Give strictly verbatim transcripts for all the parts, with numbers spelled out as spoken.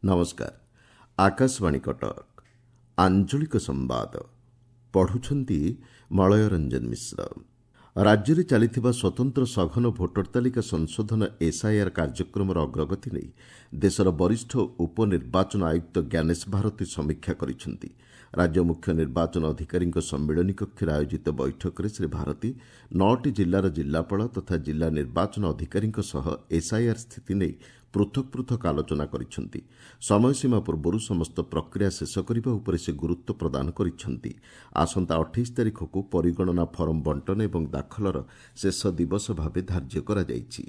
ନମସ୍କାର ଆକାଶବାଣୀ କଟକ ଆଞ୍ଚଳିକ ସମ୍ବାଦ ପଢୁଛନ୍ତି ମଳୟ ରଞ୍ଜନ ମିଶ୍ର ରାଜ୍ୟରେ ଚାଲିଥିବା ସ୍ୱତନ୍ତ୍ର ସଘନ ଭୋଟର ତାଲିକା ସଂଶୋଧନ ଏସ୍ଆଇଆର୍ କାର୍ଯ୍ୟକ୍ରମର ଅଗ୍ରଗତି ନେଇ ଦେଶର ବରିଷ୍ଠ ଉପନିର୍ବାଚନ ଆୟୁକ୍ତ ଜ୍ଞାନେଶ ଭାରତୀ ସମୀକ୍ଷା କରିଛନ୍ତି ରାଜ୍ୟ ମୁଖ୍ୟ ନିର୍ବାଚନ ଅଧିକାରୀଙ୍କ ସମ୍ମିଳନୀ କକ୍ଷରେ ଆୟୋଜିତ ବୈଠକରେ ଶ୍ରୀ ଭାରତୀ ନଅଟି ଜିଲ୍ଲାର ଜିଲ୍ଲାପାଳ ତଥା ଜିଲ୍ଲା ନିର୍ବାଚନ ଅଧିକାରୀଙ୍କ ସହ ଏସ୍ଆଇଆର୍ ସ୍ଥିତି ନେଇ ପୃଥକ ପୃଥକ ଆଲୋଚନା କରିଛନ୍ତି ସମୟସୀମା ପୂର୍ବରୁ ସମସ୍ତ ପ୍ରକ୍ରିୟା ଶେଷ କରିବା ଉପରେ ସେ ଗୁରୁତ୍ୱ ପ୍ରଦାନ କରିଛନ୍ତି ଆସନ୍ତା ଅଠେଇଶ ତାରିଖକୁ ପରିଗଣନା ଫର୍ମ ବଣ୍ଟନ ଏବଂ ଦାଖଲର ଶେଷ ଦିବସ ଭାବେ ଧାର୍ଯ୍ୟ କରାଯାଇଛି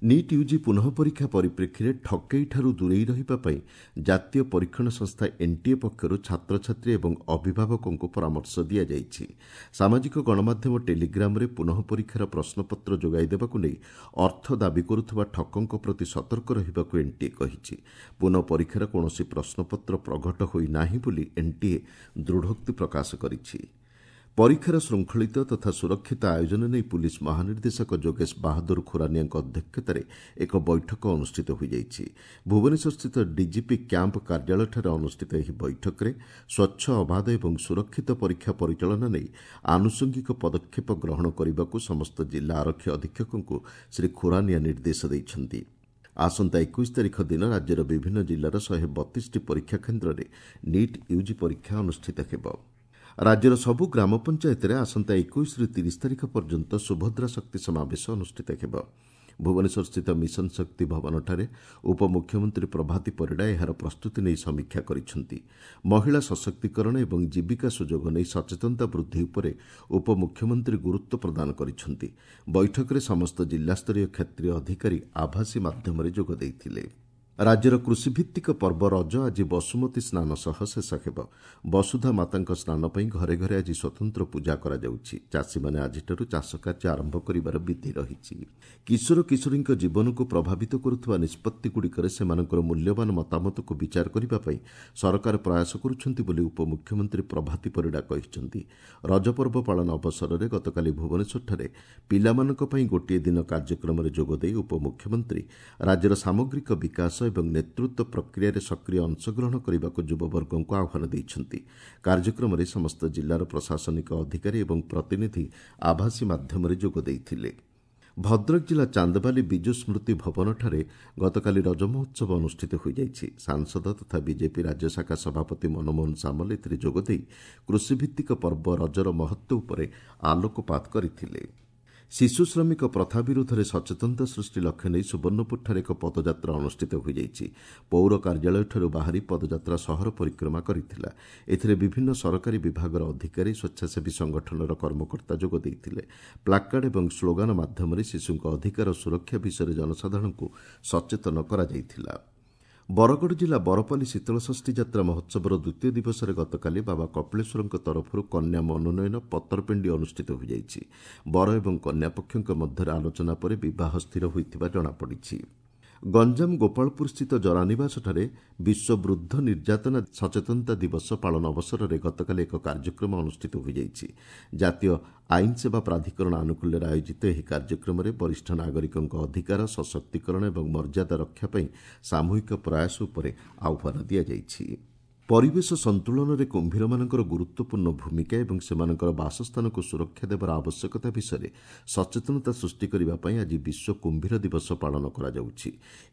ନିଟ୍ ୟୁଜି ପୁନଃ ପରୀକ୍ଷା ପରିପ୍ରେକ୍ଷୀରେ ଠକେଇଠାରୁ ଦୂରେଇ ରହିବା ପାଇଁ ଜାତୀୟ ପରୀକ୍ଷଣ ସଂସ୍ଥା ଏନ୍ଟିଏ ପକ୍ଷରୁ ଛାତ୍ରଛାତ୍ରୀ ଏବଂ ଅଭିଭାବକଙ୍କୁ ପରାମର୍ଶ ଦିଆଯାଇଛି ସାମାଜିକ ଗଣମାଧ୍ୟମ ଟେଲିଗ୍ରାମରେ ପୁନଃ ପରୀକ୍ଷାର ପ୍ରଶ୍ନପତ୍ର ଯୋଗାଇ ଦେବାକୁ ନେଇ ଅର୍ଥ ଦାବି କରୁଥିବା ଠକଙ୍କ ପ୍ରତି ସତର୍କ ରହିବାକୁ ଏନ୍ଟିଏ କହିଛି ପୁନଃ ପରୀକ୍ଷାର କୌଣସି ପ୍ରଶ୍ନପତ୍ର ପ୍ରଘଟ ହୋଇନାହିଁ ବୋଲି ଏନ୍ଟିଏ ଦୃଢ଼ୋକ୍ତି ପ୍ରକାଶ କରିଛି ପରୀକ୍ଷାର ଶୃଙ୍ଖଳିତ ତଥା ସୁରକ୍ଷିତ ଆୟୋଜନ ନେଇ ପୁଲିସ୍ ମହାନିର୍ଦ୍ଦେଶକ ଯୋଗେଶ ବାହାଦୁର ଖୁରାନିଆଙ୍କ ଅଧ୍ୟକ୍ଷତାରେ ଏକ ବୈଠକ ଅନୁଷ୍ଠିତ ହୋଇଯାଇଛି ଭୁବନେଶ୍ୱରସ୍ଥିତ ଡିଜିପି କ୍ୟାମ୍ପ କାର୍ଯ୍ୟାଳୟଠାରେ ଅନୁଷ୍ଠିତ ଏହି ବୈଠକରେ ସ୍ୱଚ୍ଛ ଅବାଧ ଏବଂ ସୁରକ୍ଷିତ ପରୀକ୍ଷା ପରିଚାଳନା ନେଇ ଆନୁଷଙ୍ଗିକ ପଦକ୍ଷେପ ଗ୍ରହଣ କରିବାକୁ ସମସ୍ତ ଜିଲ୍ଲା ଆରକ୍ଷୀ ଅଧୀକ୍ଷକଙ୍କୁ ଶ୍ରୀ ଖୁରାନିଆ ନିର୍ଦ୍ଦେଶ ଦେଇଛନ୍ତି ଆସନ୍ତା ଏକୋଇଶ ତାରିଖ ଦିନ ରାଜ୍ୟର ବିଭିନ୍ନ ଜିଲ୍ଲାର ଶହେ ବତିଶଟି ପରୀକ୍ଷା କେନ୍ଦ୍ରରେ ନିଟ୍ ୟୁଜି ପରୀକ୍ଷା ଅନୁଷ୍ଠିତ ହେବ ରାଜ୍ୟର ସବୁ ଗ୍ରାମ ପଞ୍ଚାୟତରେ ଆସନ୍ତା ଏକୋଇଶରୁ ତିରିଶ ତାରିଖ ପର୍ଯ୍ୟନ୍ତ ସୁଭଦ୍ରା ଶକ୍ତି ସମାବେଶ ଅନୁଷ୍ଠିତ ହେବ ଭୁବନେଶ୍ୱରସ୍ଥିତ ମିଶନ ଶକ୍ତି ଭବନଠାରେ ଉପମୁଖ୍ୟମନ୍ତ୍ରୀ ପ୍ରଭାତୀ ପରିଡ଼ା ଏହାର ପ୍ରସ୍ତୁତି ନେଇ ସମୀକ୍ଷା କରିଛନ୍ତି ମହିଳା ସଶକ୍ତିକରଣ ଏବଂ ଜୀବିକା ସୁଯୋଗ ନେଇ ସଚେତନତା ବୃଦ୍ଧି ଉପରେ ଉପମୁଖ୍ୟମନ୍ତ୍ରୀ ଗୁରୁତ୍ୱ ପ୍ରଦାନ କରିଛନ୍ତି ବୈଠକରେ ସମସ୍ତ ଜିଲ୍ଲାସ୍ତରୀୟ କ୍ଷେତ୍ରୀୟ ଅଧିକାରୀ ଆଭାସୀ ମାଧ୍ୟମରେ ଯୋଗ ଦେଇଥିଲେ ରାଜ୍ୟର କୃଷିଭିତ୍ତିକ ପର୍ବ ରଜ ଆଜି ବସୁମତୀ ସ୍ନାନ ସହ ଶେଷ ହେବ ବସୁଧା ମାତାଙ୍କ ସ୍ନାନ ପାଇଁ ଘରେ ଘରେ ଆଜି ସ୍ୱତନ୍ତ୍ର ପୂଜା କରାଯାଉଛି ଚାଷୀମାନେ ଆଜିଠାରୁ ଚାଷ କାର୍ଯ୍ୟ ଆରମ୍ଭ କରିବାର ବିଧି ରହିଛି କିଶୋର କିଶୋରୀଙ୍କ ଜୀବନକୁ ପ୍ରଭାବିତ କରୁଥିବା ନିଷ୍ପତ୍ତିଗୁଡ଼ିକରେ ସେମାନଙ୍କର ମୂଲ୍ୟବାନ ମତାମତକୁ ବିଚାର କରିବା ପାଇଁ ସରକାର ପ୍ରୟାସ କରୁଛନ୍ତି ବୋଲି ଉପମୁଖ୍ୟମନ୍ତ୍ରୀ ପ୍ରଭାତୀ ପରିଡ଼ା କହିଛନ୍ତି ରଜପର୍ବ ପାଳନ ଅବସରରେ ଗତକାଲି ଭୁବନେଶ୍ୱରଠାରେ ପିଲାମାନଙ୍କ ପାଇଁ ଗୋଟିଏ ଦିନ କାର୍ଯ୍ୟକ୍ରମରେ ଯୋଗଦେଇ ଉପମୁଖ୍ୟମନ୍ତ୍ରୀ ରାଜ୍ୟର ସାମଗ୍ରିକ ବିକାଶ ଏବଂ ନେତୃତ୍ୱ ପ୍ରକ୍ରିୟାରେ ସକ୍ରିୟ ଅଂଶଗ୍ରହଣ କରିବାକୁ ଯୁବବର୍ଗଙ୍କୁ ଆହ୍ୱାନ ଦେଇଛନ୍ତି କାର୍ଯ୍ୟକ୍ରମରେ ସମସ୍ତ ଜିଲ୍ଲାର ପ୍ରଶାସନିକ ଅଧିକାରୀ ଏବଂ ପ୍ରତିନିଧି ଆଭାସୀ ମାଧ୍ୟମରେ ଯୋଗ ଦେଇଥିଲେ ଭଦ୍ରକ ଜିଲ୍ଲା ଚାନ୍ଦବାଲି ବିଜୁ ସ୍ମୃତି ଭବନଠାରେ ଗତକାଲି ରଜ ମହୋତ୍ସବ ଅନୁଷ୍ଠିତ ହୋଇଯାଇଛି ସାଂସଦ ତଥା ବିଜେପି ରାଜ୍ୟଶାଖା ସଭାପତି ମନମୋହନ ସାମଲ ଏଥିରେ ଯୋଗଦେଇ କୃଷିଭିତ୍ତିକ ପର୍ବ ରଜର ମହତ୍ତ୍ୱ ଉପରେ ଆଲୋକପାତ କରିଥିଲେ ଶିଶୁ ଶ୍ରମିକ ପ୍ରଥା ବିରୁଦ୍ଧରେ ସଚେତନତା ସୃଷ୍ଟି ଲକ୍ଷ୍ୟ ନେଇ ସୁବର୍ଣ୍ଣପୁରଠାରେ ଏକ ପଦଯାତ୍ରା ଅନୁଷ୍ଠିତ ହୋଇଯାଇଛି ପୌର କାର୍ଯ୍ୟାଳୟଠାରୁ ବାହାରି ପଦଯାତ୍ରା ସହର ପରିକ୍ରମା କରିଥିଲା ଏଥିରେ ବିଭିନ୍ନ ସରକାରୀ ବିଭାଗର ଅଧିକାରୀ ସ୍ୱେଚ୍ଛାସେବୀ ସଂଗଠନର କର୍ମକର୍ତ୍ତା ଯୋଗ ଦେଇଥିଲେ ପ୍ଲାକାର୍ଡ ଏବଂ ସ୍ଲୋଗାନ ମାଧ୍ୟମରେ ଶିଶୁଙ୍କ ଅଧିକାର ସୁରକ୍ଷା ବିଷୟରେ ଜନସାଧାରଣଙ୍କୁ ସଚେତନ କରାଯାଇଥିଲା ବରଗଡ଼ ଜିଲ୍ଲା ବରପାଲି ଶୀତଳଷଷ୍ଠୀ ଯାତ୍ରା ମହୋତ୍ସବର ଦ୍ୱିତୀୟ ଦିବସରେ ଗତକାଲି ବାବା କପିଳେଶ୍ୱରଙ୍କ ତରଫରୁ କନ୍ୟା ମନୋନୟନ ପତରପେଣ୍ଡି ଅନୁଷ୍ଠିତ ହୋଇଯାଇଛି ବର ଏବଂ କନ୍ୟା ପକ୍ଷଙ୍କ ମଧ୍ୟରେ ଆଲୋଚନା ପରେ ବିବାହ ସ୍ଥିର ହୋଇଥିବା ଜଣାପଡ଼ିଛି ଗଞ୍ଜାମ ଗୋପାଳପୁରସ୍ଥିତ ଜରାନିବାସଠାରେ ବିଶ୍ୱ ବୃଦ୍ଧ ନିର୍ଯାତନା ସଚେତନତା ଦିବସ ପାଳନ ଅବସରରେ ଗତକାଲି ଏକ କାର୍ଯ୍ୟକ୍ରମ ଅନୁଷ୍ଠିତ ହୋଇଯାଇଛି ଜାତୀୟ ଆଇନ ସେବା ପ୍ରାଧିକରଣ ଆନୁକୂଲ୍ୟରେ ଆୟୋଜିତ ଏହି କାର୍ଯ୍ୟକ୍ରମରେ ବରିଷ୍ଠ ନାଗରିକଙ୍କ ଅଧିକାର ସଶକ୍ତିକରଣ ଏବଂ ମର୍ଯ୍ୟାଦା ରକ୍ଷା ପାଇଁ ସାମୂହିକ ପ୍ରୟାସ ଉପରେ ଆହ୍ୱାନ ଦିଆଯାଇଛି ପରିବେଶ ସନ୍ତୁଳନରେ କୁମ୍ଭୀରମାନଙ୍କର ଗୁରୁତ୍ୱପୂର୍ଣ୍ଣ ଭୂମିକା ଏବଂ ସେମାନଙ୍କର ବାସସ୍ଥାନକୁ ସୁରକ୍ଷା ଦେବାର ଆବଶ୍ୟକତା ବିଷୟରେ ସଚେତନତା ସୃଷ୍ଟି କରିବା ପାଇଁ ଆଜି ବିଶ୍ୱ କୁମ୍ଭୀର ଦିବସ ପାଳନ କରାଯାଉଛି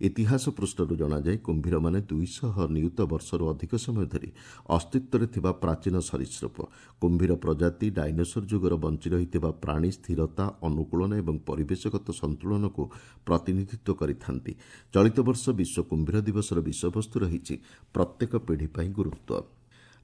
ଇତିହାସ ପୃଷ୍ଠରୁ ଜଣାଯାଏ କୁମ୍ଭୀରମାନେ ଦୁଇଶହ ନିୟୁତ ବର୍ଷରୁ ଅଧିକ ସମୟ ଧରି ଅସ୍ତିତ୍ୱରେ ଥିବା ପ୍ରାଚୀନ ସରୀସୃପ କୁମ୍ଭୀର ପ୍ରଜାତି ଡାଇନୋସର ଯୁଗର ବଞ୍ଚି ରହିଥିବା ପ୍ରାଣୀ ସ୍ଥିରତା ଅନୁକୂଳନ ଏବଂ ପରିବେଶଗତ ସନ୍ତୁଳନକୁ ପ୍ରତିନିଧିତ୍ୱ କରିଥାନ୍ତି ଚଳିତ ବର୍ଷ ବିଶ୍ୱ କୁମ୍ଭୀର ଦିବସର ବିଷୟବସ୍ତୁ ରହିଛି ପ୍ରତ୍ୟେକ ପିଢ଼ି ପାଇଁ ଗୁରୁତ୍ୱ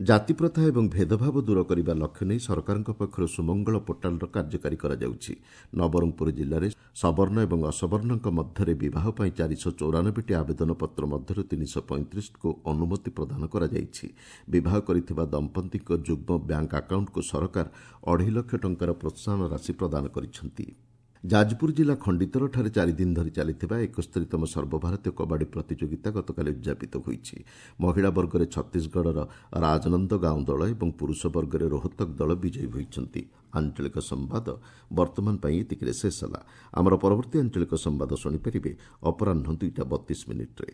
ଜାତିପ୍ରଥା ଏବଂ ଭେଦଭାବ ଦୂର କରିବା ଲକ୍ଷ୍ୟ ନେଇ ସରକାରଙ୍କ ପକ୍ଷରୁ ସୁମଙ୍ଗଳ ପୋର୍ଟାଲର କାର୍ଯ୍ୟକାରୀ କରାଯାଉଛି ନବରଙ୍ଗପୁର ଜିଲ୍ଲାରେ ସବର୍ଣ୍ଣ ଏବଂ ଅସବର୍ଣ୍ଣଙ୍କ ମଧ୍ୟରେ ବିବାହ ପାଇଁ ଚାରିଶହ ଚଉରାନବେଟି ଆବେଦନପତ୍ର ମଧ୍ୟରୁ ତିନିଶହ ପଇଁତିରିଶକୁ ଅନୁମତି ପ୍ରଦାନ କରାଯାଇଛି ବିବାହ କରିଥିବା ଦମ୍ପତିଙ୍କ ଯୁଗ୍ମ ବ୍ୟାଙ୍କ ଆକାଉଣ୍ଟକୁ ସରକାର ଅଢ଼େଇ ଲକ୍ଷ ଟଙ୍କାର ପ୍ରୋତ୍ସାହନ ରାଶି ପ୍ରଦାନ କରିଛନ୍ତି ଯାଜପୁର ଜିଲ୍ଲା ଖଣ୍ଡିତରଠାରେ ଚାରିଦିନ ଧରି ଚାଲିଥିବା ଏକସ୍ତରୀତମ ସର୍ବଭାରତୀୟ କବାଡ଼ି ପ୍ରତିଯୋଗିତା ଗତକାଲି ଉଦ୍ଯାପିତ ହୋଇଛି ମହିଳା ବର୍ଗରେ ଛତିଶଗଡ଼ର ରାଜନନ୍ଦ ଗାଁଓ ଦଳ ଏବଂ ପୁରୁଷ ବର୍ଗରେ ରୋହତକ ଦଳ ବିଜୟୀ ହୋଇଛନ୍ତି ଆଞ୍ଚଳିକ ସମ୍ବାଦ ବର୍ତ୍ତମାନ ପାଇଁ ଏତିକିରେ ଶେଷ ହେଲା ଆମର ପରବର୍ତ୍ତୀ ଆଞ୍ଚଳିକ ସମ୍ବାଦ ଶୁଣିପାରିବେ ଅପରାହ୍ନ ଦୁଇଟା ବତିଶ ମିନିଟ୍ରେ